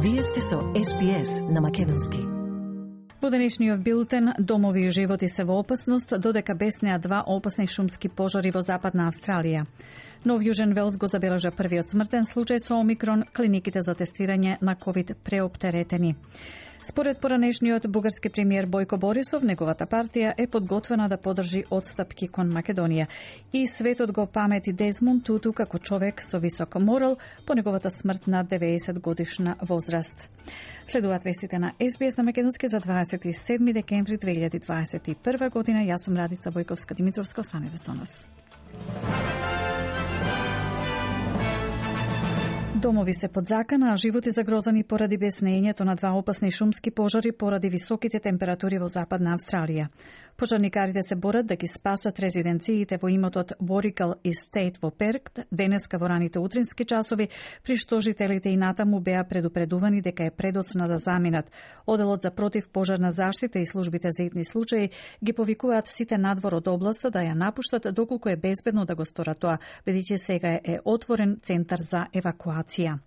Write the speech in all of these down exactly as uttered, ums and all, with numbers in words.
Вие сте со Ес Би Ес на македонски. Во денешниот билтен, домови и животи се во опасност, додека беснеа два опасни шумски пожари во Западна Австралија. Нов Јужен Велс го забележа првиот смртен случај со Омикрон, клиниките за тестирање на ковид преоптеретени. Според поранешниот бугарски премиер Бојко Борисов, неговата партија е подготвена да подржи отстапки кон Македонија. И светот го памети Дезмонд Туту како човек со висок морал по неговата смрт на деветдесет годишна возраст. Следуваат вестите на Ес Би Ес на македонски за дваесет и седми декември две илјади дваесет и прва година. Јас сум Радица Бојковска-Димитровска. Останете со нас. Домови се под закана, а животи загрозани поради беснењето на два опасни шумски пожари поради високите температури во Западна Австралија. Пожарникарите се борат да ги спасат резиденциите во имотот Warrigal Estate во Перт денеска во раните утрински часови, при што жителите и натаму беа предупредувани дека е предоцна да заминат. Оделот за противпожарна заштита и службите за итни случаи ги повикуваат сите надвор од областа да ја напуштат доколку е безбедно да го сторат тоа, бидејќи сега е отворен центар за евакуација.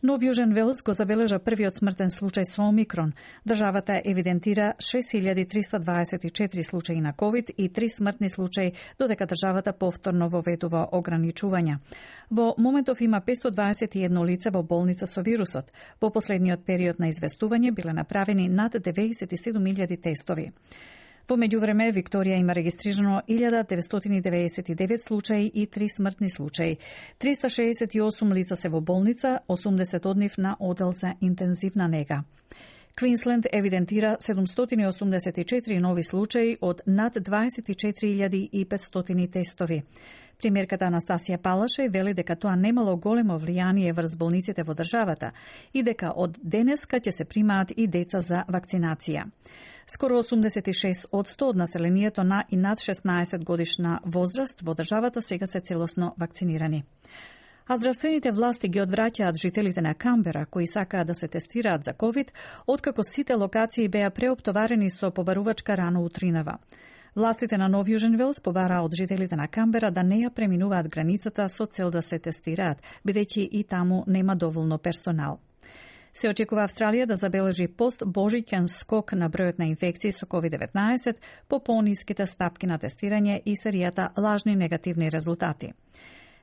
Нов Јужен Велс го забележа првиот смртен случај со Омикрон. Државата евидентира шест илјади триста дваесет и четири случаи на ковид и три смртни случаи, додека државата повторно воведува ограничувања. Во моментов има петстотини дваесет и едно лице во болница со вирусот. Во последниот период на известување биле направени над деветдесет и седум илјади тестови. Во меѓувреме, Викторија има регистрирано илјада деветстотини деветдесет и девет случаи и три смртни случаи. триста шеесет и осум лица се во болница, осумдесет од нив на одел за интензивна нега. Квинсленд евидентира седумстотини осумдесет и четири нови случаи од над дваесет и четири илјади и петстотини тестови. Премиерката Анастасија Палаше вели дека тоа немало големо влијание врз болниците во државата и дека од денеска ќе се примаат и деца за вакцинација. Скоро осумдесет и шест одсто од населението на и над шеснаесет годишна возраст во државата сега се целосно вакцинирани. А здравствените власти ги одвраќаат жителите на Камбера кои сакаат да се тестираат за ковид, откако сите локации беа преоптоварени со побарувачка рано утринава. Властите на Нов Јужен Велс побараа од жителите на Камбера да не ја преминуваат границата со цел да се тестираат, бидејќи и таму нема доволно персонал. Се очекува Австралија да забележи пост-божиќен скок на бројот на инфекции со ковид деветнаесет по пониските стапки на тестирање и серијата лажни негативни резултати.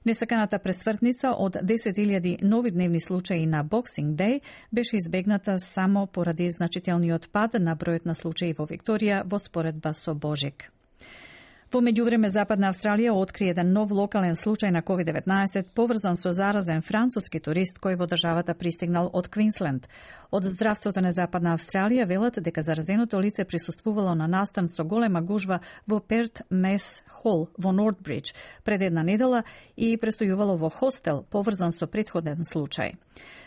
Несаканата пресвртница од десет илјади нови дневни случаи на Boxing Day беше избегната само поради значителниот пад на бројот на случаи во Викторија во споредба со Божик. Во меѓувреме, Западна Австралија откри еден нов локален случај на ковид деветнаесет поврзан со заразен француски турист кој во државата пристигнал од Квинсленд. Од здравството на Западна Австралија велат дека заразеното лице присуствувало на настан со голема гужва во Перт Мес Хол во Нортбридж пред една недела и престојувало во хостел поврзан со претходен случај.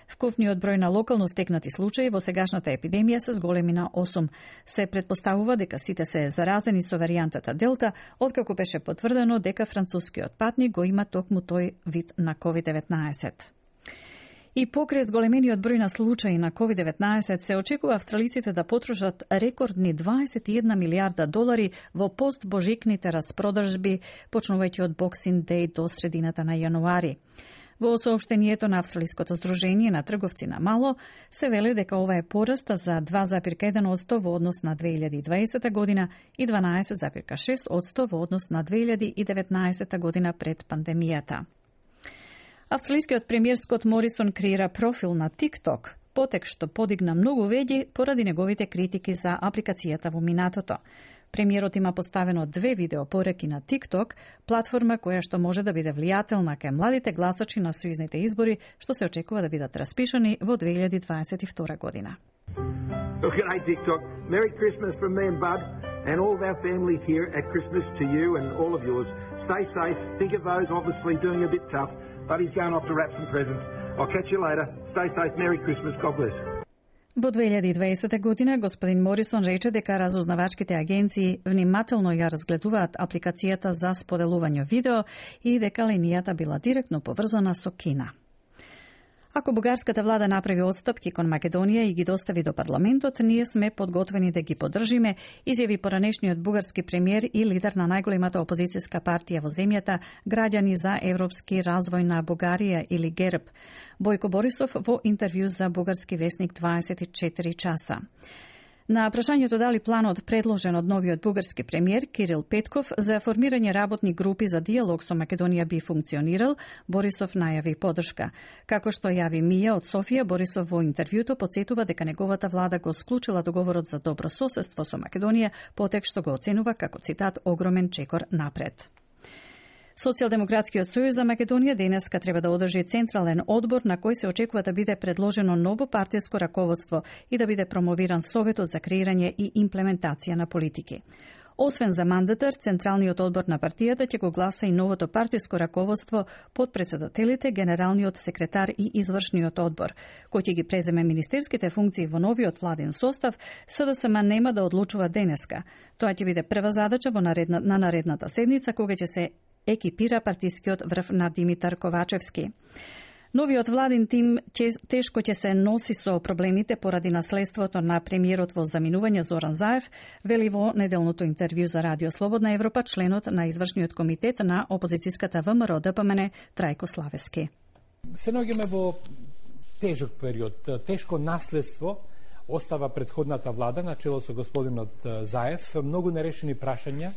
Вкупниот број на локално стекнати случаи во сегашната епидемија се зголеми на осум. Се претпоставува дека сите се заразени со варијантата Делта, откако беше потврдено дека францускиот патник го има токму тој вид на ковид деветнаесет. И покрај зголемениот број на случаи на ковид деветнаесет се очекува австралиците да потрошат рекордни дваесет и една милијарда долари во постбожикните распродажби, почнувајќи од Boxing Day до средината на јануари. Во соопштението на Австралиското здружение на трговци на мало се вели дека ова е пораст за два зарез еден одсто во однос на две илјади и дваесета година и дванаесет зарез шест одсто во однос на две илјади и деветнаесета година пред пандемијата. Австралискиот премиер Скот Морисон креира профил на TikTok, потек што подигна многу веќе поради неговите критики за апликацијата во минатото. Премиерот има поставено две видеопореки на TikTok, платформа која што може да биде влијателна кај младите гласачи на сојузните избори, што се очекува да бидат распишани во две илјади дваесет и втора година. Well, g'day TikTok. Merry Christmas from me and Bud and all of our families here at Christmas to you and all of yours. Stay safe. Think of those obviously doing a bit tough. Buddy's going off to wrap some presents. I'll catch you later. Stay safe. Merry Christmas. God bless. Во две илјади и дваесета година господин Морисон рече дека разузнавачките агенции внимателно ја разгледуваат апликацијата за споделување видео и дека линијата била директно поврзана со Кина. Ако бугарската влада направи отстапки кон Македонија и ги достави до парламентот, ние сме подготвени да ги поддржиме, изјави поранешниот бугарски премиер и лидер на најголемата опозицијска партија во земјата, Граѓани за европски развој на Бугарија или ГЕРБ, Бојко Борисов во интервју за бугарски весник дваесет и четири часа. На прашањето дали планот предложен од новиот бугарски премиер Кирил Петков за формирање работни групи за диалог со Македонија би функционирал, Борисов најави поддршка. Како што јави Мија од Софија, Борисов во интервјуто потсетува дека неговата влада го склучила договорот за добро соседство со Македонија, потек што го оценува како, цитат, огромен чекор напред. Социјалдемократскиот сојуз за Македонија денеска треба да одржи централен одбор на кој се очекува да биде предложено ново партиско раководство и да биде промовиран советот за креирање и имплементација на политики. Освен за мандатар, Централниот одбор на партијата ќе го гласа и новото партиско раководство под председателите, генералниот секретар и извршниот одбор, кој ќе ги преземе министерските функции во новиот владен состав. СДСМ нема да одлучува денеска. Тоа ќе биде прва задача во наредна, на наредната седница, кога ќе се екипира партискиот врв на Димитар Ковачевски. Новиот владин тим тешко ќе се носи со проблемите поради наследството на премиерот во заминување Зоран Заев, вели во неделното интервју за Радио Слободна Европа членот на извршниот комитет на опозицијската ВМРО Д П М Н Трајко Славески. Се наоѓаме во тежок период, тешко наследство остава претходната влада на чело со господинот Заев, многу нерешени прашања,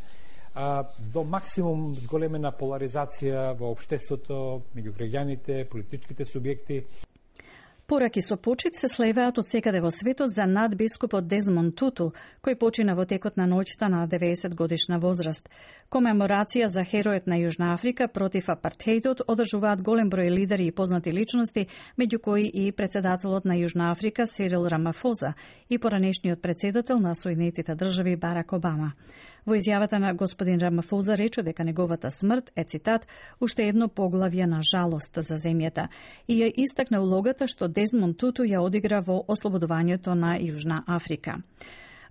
до максимум зголемена поларизација во општеството, меѓу граѓаните, политичките субјекти. Пораки со почит се слеваат од секаде во светот за надбискупот Дезмонд Туту, кој почина во текот на ноќта на деветдесет годишна возраст. Комеморација за херојот на Јужна Африка против апартеидот одржуваат голем број лидери и познати личности, меѓу кои и председателот на Јужна Африка Сирил Рамафоза и поранешниот председател на Соединетите држави Барак Обама. Во изјавата на господин Рамафоза рече дека неговата смрт е, цитат, уште едно поглавје на жалост за земјата и ја истакна улогата што Дезмонд Туту ја одигра во ослободувањето на Јужна Африка.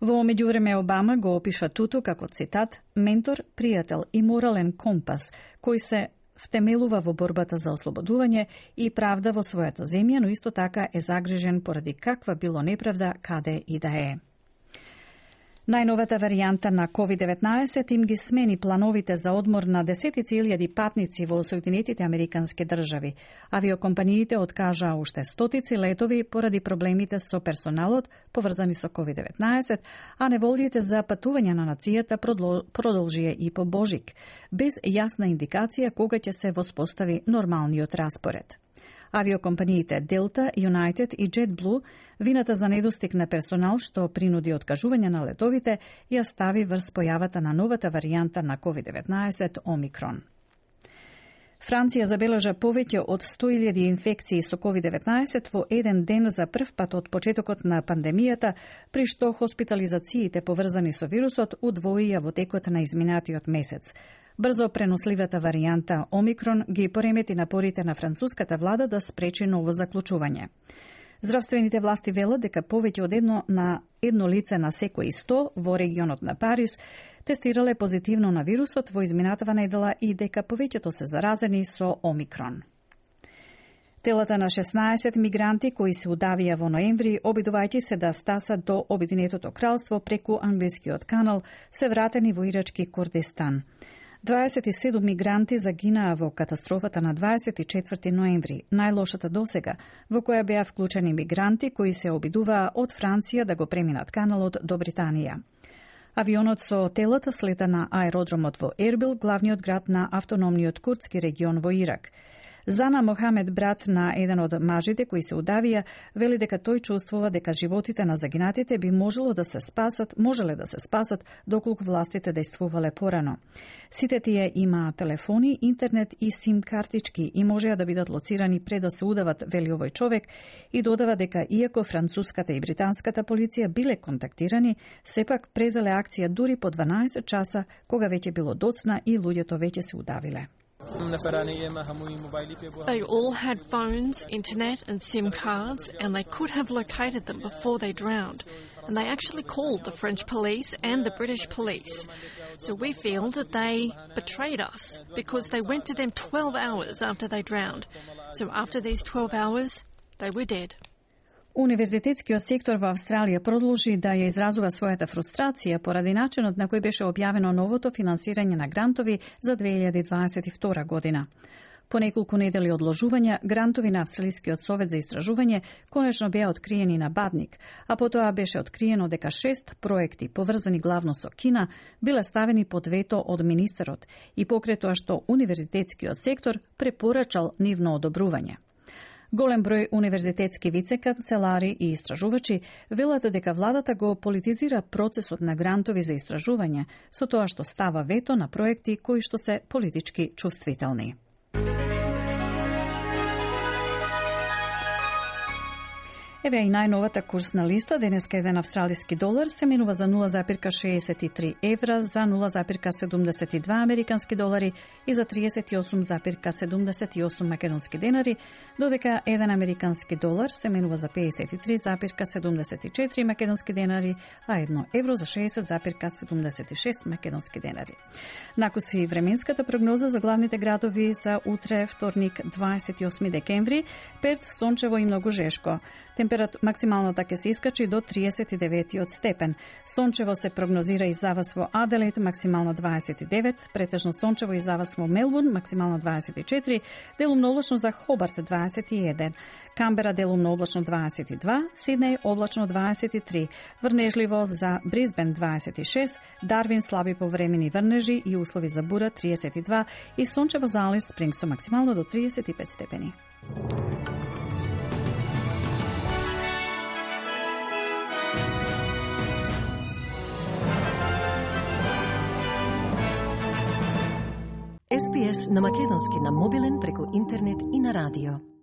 Во меѓувреме Обама го опиша Туту како, цитат, ментор, пријател и морален компас, кој се втемелува во борбата за ослободување и правда во својата земја, но исто така е загрижен поради каква било неправда каде и да е. Најновата варијанта на ковид деветнаесет им ги смени плановите за одмор на десетици илјади патници во Соединетите Американски држави. Авиокомпаниите откажаа уште стотици летови поради проблемите со персоналот поврзани со ковид деветнаесет, а неволјите за патување на нацијата продолжија и по Божик, без јасна индикација кога ќе се воспостави нормалниот распоред. Авиокомпаниите Delta, United и JetBlue вината за недостиг на персонал што принуди откажување на летовите ја стави врз појавата на новата варијанта на ковид деветнаесет Омикрон. Франција забележа повеќе од сто илјади инфекции со ковид деветнаесет во еден ден за прв пат од почетокот на пандемијата, при што хоспитализациите поврзани со вирусот удвоија во текот на изминатиот месец. Брзо преносливата варијанта Омикрон ги поремети напорите на француската влада да спречи ново заклучување. Здравствените власти велат дека повеќе од едно на едно лице на секој сто во регионот на Париз тестирале позитивно на вирусот во изминатава недела и дека повеќето се заразени со Омикрон. Телата на шеснаесет мигранти кои се удавија во ноември, обидувајќи се да стасат до Обединетото кралство преку англискиот канал, се вратени во ирачки Курдистан. дваесет и седум мигранти загинаа во катастрофата на дваесет и четврти ноември, најлошата досега, во која беа вклучени мигранти кои се обидуваа од Франција да го преминат каналот до Британија. Авионот со телата слета на аеродромот во Ербил, главниот град на автономниот курдски регион во Ирак. Зана Мохамед, брат на еден од мажите кои се удавија, вели дека тој чувствува дека животите на загинатите би можело да се спасат, можеле да се спасат доколку властите дејствувале порано. Сите тие имаа телефони, интернет и сим картички и можеа да бидат лоцирани пред да се удават, вели овој човек, и додава дека иако француската и британската полиција биле контактирани, сепак презеле акција дури по дванаесет часа, кога веќе било доцна и луѓето веќе се удавиле. They all had phones, internet and SIM cards, and they could have located them before they drowned. And they actually called the French police and the British police. So we feel that they betrayed us because they went to them twelve hours after they drowned. So after these twelve hours, they were dead. Универзитетскиот сектор во Австралија продолжи да ја изразува својата фрустрација поради начинот на кој беше објавено новото финансирање на грантови за две илјади дваесет и втора година. По неколку недели одложувања, грантови на Австралискиот совет за истражување конечно беа откриени на Бадник, а потоа беше откриено дека шест проекти, поврзани главно со Кина, биле ставени под вето од министерот и покрај тоа што универзитетскиот сектор препорачал нивно одобрување. Голем број универзитетски вице-канцелари и истражувачи велат дека владата го политизира процесот на грантови за истражување со тоа што става вето на проекти кои што се политички чувствителни. Еве и најновата курсна листа. Денеска еден австралиски долар се менува за нула запирка шеесет и три евра, за нула запирка седумдесет и два американски долари и за триесет и осум запирка седумдесет и осум македонски денари, додека еден американски долар се менува за пеесет и три запирка седумдесет и четири македонски денари, а едно евро за шеесет запирка седумдесет и шест македонски денари. Накуси временската прогноза за главните градови за утре, вторник, дваесет и осми декември, Перт сончево и многу жешко. Температ максималната ќе се искачи до триесет и деветиот степен. Сончево се прогнозира и за вас во Аделаид, максимално дваесет и девет, претежно сончево и за вас во Мелбурн, максимално дваесет и четири, делумно облачно за Хобарт дваесет и еден, Камбера делумно облачно дваесет и два, Сиднеј облачно дваесет и три, врнежливо за Брисбен дваесет и шест, Дарвин слаби повремени врнежи и услови за бура триесет и два и сончево за Алис Спрингс максимално до триесет и пет степени. Ес Би Ес на македонски на мобилен преку интернет и на радио.